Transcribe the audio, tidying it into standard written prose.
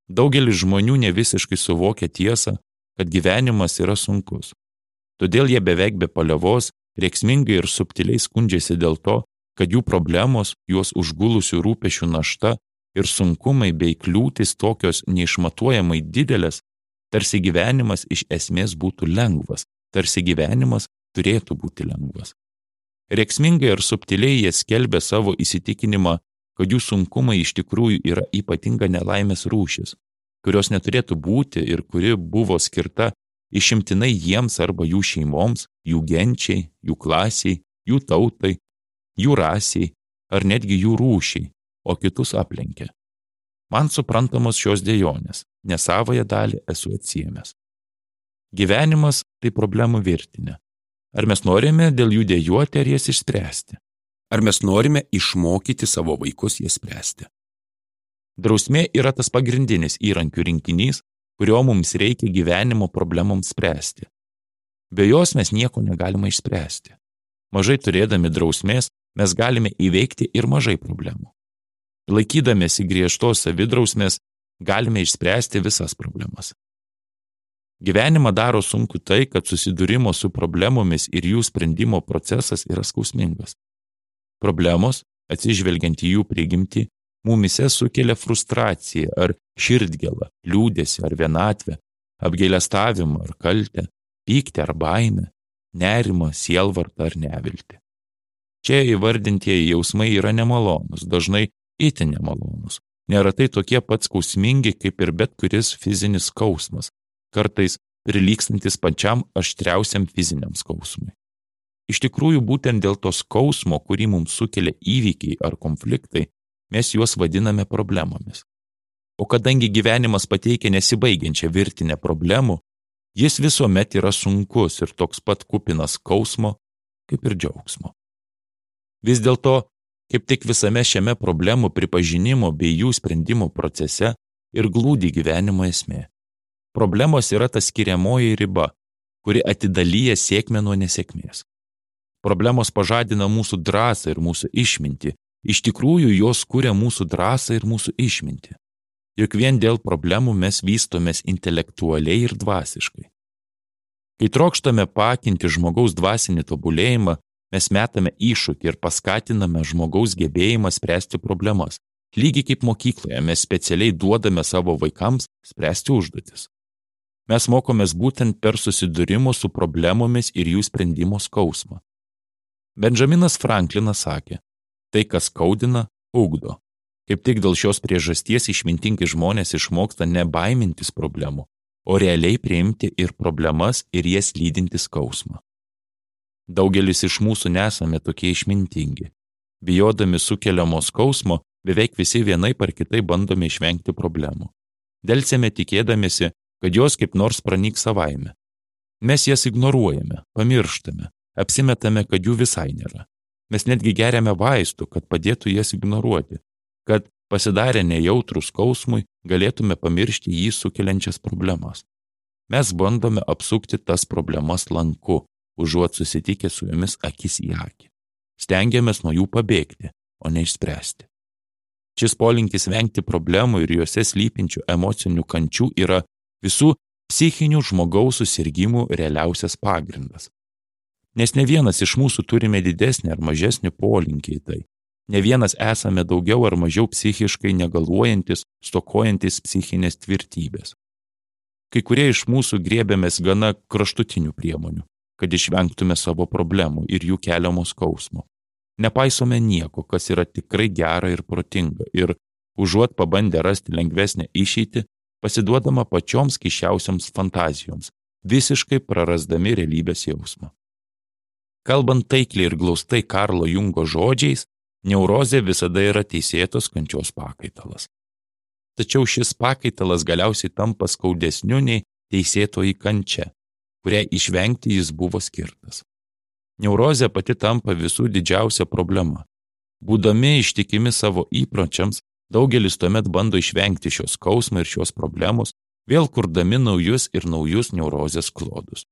Daugelis žmonių nevisiškai suvokia tiesą, kad gyvenimas yra sunkus. Todėl jie beveik be paliovos, rėksmingai ir subtiliai skundžiasi dėl to, kad jų problemos, juos užgulusių rūpešių našta ir sunkumai bei kliūtis tokios neišmatuojamai didelės, tarsi gyvenimas iš esmės būtų lengvas, tarsi gyvenimas turėtų būti lengvas. Rėksmingai ir subtiliai jie skelbia savo įsitikinimą, kad jų sunkumai iš tikrųjų yra ypatinga nelaimės rūšis, kurios neturėtų būti ir kuri buvo skirta išimtinai jiems arba jų šeimoms, jų genčiai, jų klasiai, jų tautai, jų rasiai ar netgi jų rūšiai, o kitus aplenkia. Man suprantamos šios dejonės, nes savąją dalį esu atsiėmęs. Gyvenimas tai problemų virtinė. Ar mes norime dėl jų dejuoti ar jas išspręsti? Ar mes norime išmokyti savo vaikus jas spręsti? Drausmė yra tas pagrindinis įrankių rinkinys, kurio mums reikia gyvenimo problemoms spręsti. Be jos mes nieko negalime išspręsti. Mažai turėdami drausmės mes galime įveikti ir mažai problemų. Laikydamėsi griežtos savidrausmės galime išspręsti visas problemas. Gyvenimą daro sunku tai, kad susidūrimo su problemomis ir jų sprendimo procesas yra skausmingas. Problemos, atsižvelgiant į jų prigimtį, mumise sukelia frustraciją ar širdgėlą, liūdesį ar vienatvę, apgailestavimą ar kaltę, pyktį ar baimę, nerimą, sielvartą ar neviltį. Čia įvardintieji jausmai yra nemalonūs, dažnai itin nemalonūs, neretai tokie pat skausmingi kaip ir bet kuris fizinis skausmas, kartais prilygstantis pačiam aštriausiam fiziniam skausmui. Iš tikrųjų, būtent dėl to skausmo, kurį mums sukelia įvykiai ar konfliktai, mes juos vadiname problemomis. O kadangi gyvenimas pateikia nesibaigiančią virtinę problemų, jis visuomet yra sunkus ir toks pat kupinas skausmo, kaip ir džiaugsmo. Vis dėlto, kaip tik visame šiame problemų pripažinimo bei jų sprendimo procese ir glūdi gyvenimo esmė. Problemos yra ta skiriamoji riba, kuri atidalyja sėkmę nuo nesėkmės. Problemos pažadina mūsų drąsą ir mūsų išmintį. Iš tikrųjų, jos kuria mūsų drąsą ir mūsų išmintį. Juk vien dėl problemų mes vystomės intelektualiai ir dvasiškai. Kai trokštame pakinti žmogaus dvasinį tobulėjimą, mes metame iššūkį ir paskatiname žmogaus gebėjimą spręsti problemas. Lygiai kaip mokykloje mes specialiai duodame savo vaikams spręsti užduotis. Mes mokomės būtent per susidūrimo su problemomis ir jų sprendimo skausmą. Benjaminas Franklinas sakė, tai, kas skaudina, ugdo. Kaip tik dėl šios priežasties išmintingi žmonės išmoksta nebaimintis problemų, o realiai priimti ir problemas ir jas lydinti skausmą. Daugelis iš mūsų nesame tokie išmintingi. Bijodami sukeliamo skausmo, beveik visi vienaip ar kitaip bandome išvengti problemų. Delsėme tikėdamiesi, kad jos kaip nors pranyks savaime. Mes jas ignoruojame, pamirštame, apsimetame, kad jų visai nėra. Mes netgi geriame vaistų, kad padėtų jas ignoruoti, kad pasidarę nejautrų skausmui galėtume pamiršti jį sukeliančias problemas. Mes bandome apsukti tas problemas lanku, užuot susitikę su jomis akis į akį. Stengiamės nuo jų pabėgti, o ne išspręsti. Šis polinkis vengti problemų ir juose slypinčių emocinių kančių yra visų psichinių žmogaus susirgimų realiausias pagrindas. Nes ne vienas iš mūsų turime didesnį ar mažesnį polinkį į tai. Ne vienas esame daugiau ar mažiau psichiškai negaluojantis, stokojantis psichinės tvirtybės. Kai kurie iš mūsų griebėmės gana kraštutinių priemonių, kad išvengtume savo problemų ir jų keliamo skausmo. Nepaisome nieko, kas yra tikrai gera ir protinga, ir užuot pabandę rasti lengvesnę išeitį, pasiduodama pačioms keisčiausiams fantazijoms, visiškai prarasdami realybės jausmą. Kalbant taikliai ir glaustai Karlo Jungo žodžiais, neurozė visada yra teisėtos kančios pakaitalas. Tačiau šis pakaitalas galiausiai tampa skaudesniu nei teisėtoji kančia, kuriai išvengti jis buvo skirtas. Neurozė pati tampa visų didžiausia problema. Būdami ištikimi savo įpročiams, daugelis tuomet bando išvengti šios skausmo ir šios problemos, vėl kurdami naujus ir naujus neurozės klodus.